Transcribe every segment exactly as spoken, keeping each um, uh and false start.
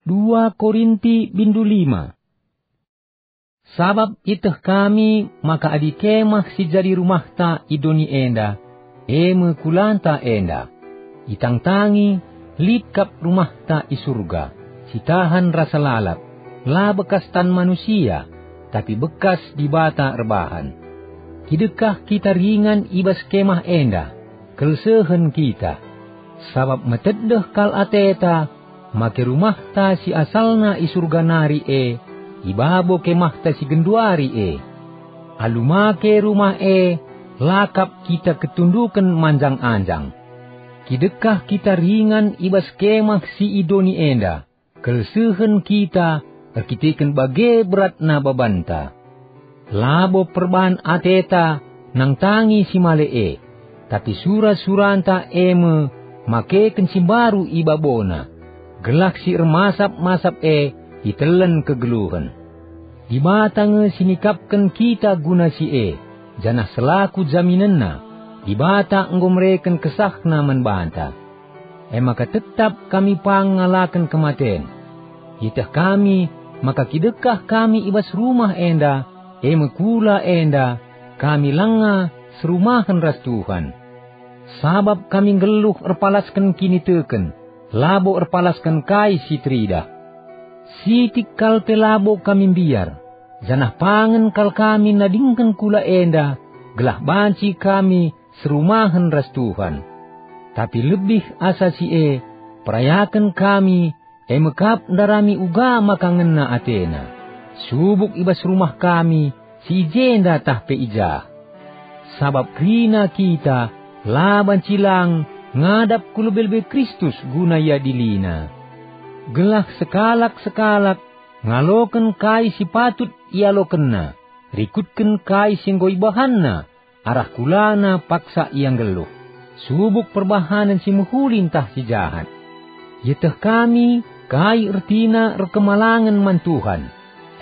Dua Korinti bindu lima. Sabap ieteh kami maka adi kemah si jadi rumahta i doni enda, e me kulanta enda, itangtangi lit kap rumahta i Surga, si tahan rasa lalap, la bekas tan manusia, tapi bekas Dibata erbahan. Kidekah kita ringan i bas kemah enda, kelsehen kita, sabap metedeh kal ateta, make rumahta si asalna i Surga nari e, i babo kemahta si genduari e. Alu make rumah e, la kap kita ketunduken manjang-anjang. Kidekah kita ringan i bas kemah si i doni enda, kelsehen kita erkiteken bage beratna babanta. Labo perban ateta nangtangi si male e, tapi sura-suranta e me makeken si mbaru i babona, gelah si ermasap-masap e itelen kegeluhen. Dibata nge si nikapken kita guna si e, janah selaku jaminenna, Dibata enggo mereken kesahNa man banta. E maka tetap kami pang ngalaken kematen. Ieteh kami maka kidekah kami i bas rumah enda, e me kula enda, kami langa serumahen ras Tuhan. Sabap kami nggeluh erpalasken kiniteken, labo erpalasken kai si teridah. Sitik kal pe labo kami mbiar, janah pangen kal kami nadingken kula enda, gelah banci kami serumahen ras Tuhan. Tapi lebih asa si e, perayaken kami, e me kap ndarami uga maka ngena atena, subuk i bas rumah kami si i jenda tah pe i jah. Sabap kerina kita la banci lang ngadap ku lebe-lebe Kristus guna iadiliNa. Gelah sekalak-sekalak ngaloken kai si patut ialokenna, rikutken kai si enggo ibahanna, arah kulana paksa ia nggeluh, subuk perbahanen si mehuli ntah si jahat. Ieteh kami kai ertina erkemalangen man Tuhan,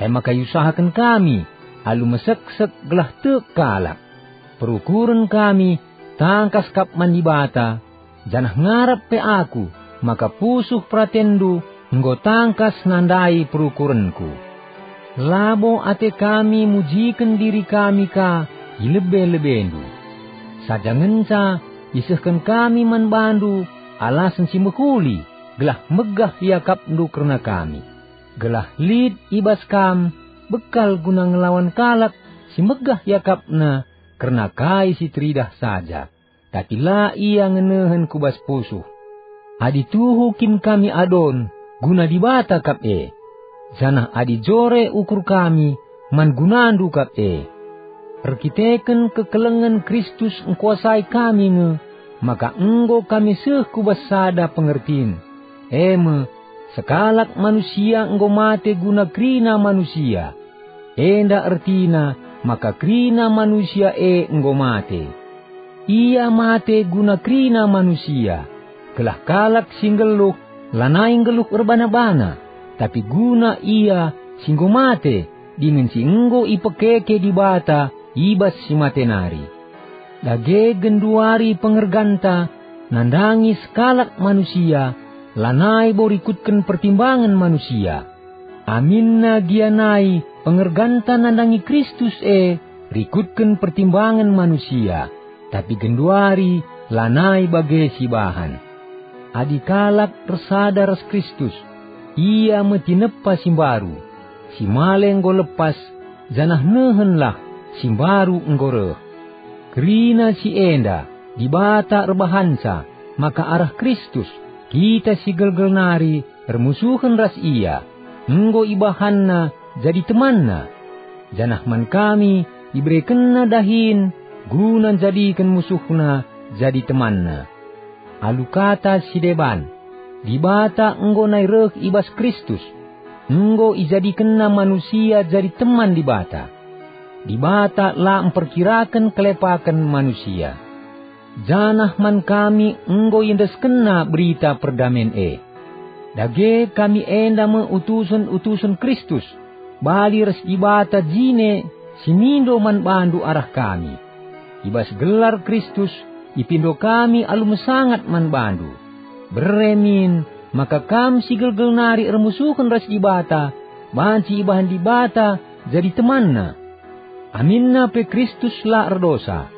e maka iusahaken kami alu meseksek gelah tek kalak. Perukuren kami tangkas kap man Dibata, janah ngarap pe aku maka pusuh peratenndu enggo tangkas nandai perukurenku. Labo ate kami mujiken diri kami ka i lebe-lebendu. Saja ngenca isehken kami man bandu alasen si mehuli gelah megah iakapndu kerna kami, gelah lit i bas kam bekal guna ngelawan kalak si megah iakapna kerna kai si teridah saja, tapi la ia ngenehen ku bas pusuh. Adi tuhu kin kami adon, guna Dibata kap e, janah adi jore ukur kami, man gunandu kap e. Erkiteken kekelengen Kristus engkuasai kami nge, maka enggo kami seh ku bas sada pengertin, e me, sekalak manusia enggo mate guna kerina manusia. Enda ertina maka kerina manusia e enggo mate. Ia mate guna kerina manusia, gelah kalak si nggeluh lanai nggeluh erbana-bana, tapi guna ia si enggo mate dingen si enggo ipekeke Dibata i bas si mate nari. Dage genduari pengerganta nandangi sekalak manusia, lanai bo rikutken pertimbangen manusia. Aminna gia nai pengerganta nandangi Kristus e rikutken pertimbangen manusia, tapi genduari lanai bage sibahan. Adi kalak ersada ras Kristus, ia me tinepa si mbaru, si male enggo lepas, janah nehenlah, si mbaru enggo reh. Kerina si enda, Dibata erbahanca maka arah Kristus, kita si gelgel nari ermusuhen ras Ia, enggo ibahanNa jadi temanNa. Janah man kami iberekenNa dahin guna njadiken musuhNa jadi temanNa. Alu kata si deban, Dibata enggo nai reh i bas Kristus, enggo ijadikenNa manusia jadi teman Dibata. Dibata la mperkiraken kelepaken manusia. Janah man kami enggo iendeskenNa berita perdamen e. Dage kami enda me utusen-utusen Kristus, bali ras Dibata jine si mindo man bandu arah kami. I bas gelar Kristus ipindo kami alu mesangat man bandu. Bere min, maka kam si gelgel nari ermusuhen ras Dibata banci ibahan Dibata jadi temanNa. Aminna pe Kristus la erdosa.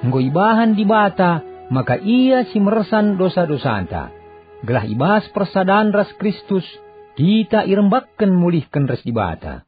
Enggo ibahan Dibata maka Ia si mersan dosa-dosanta, gelah i bas persadan ras Kristus kita irembakken mulihken ras Dibata.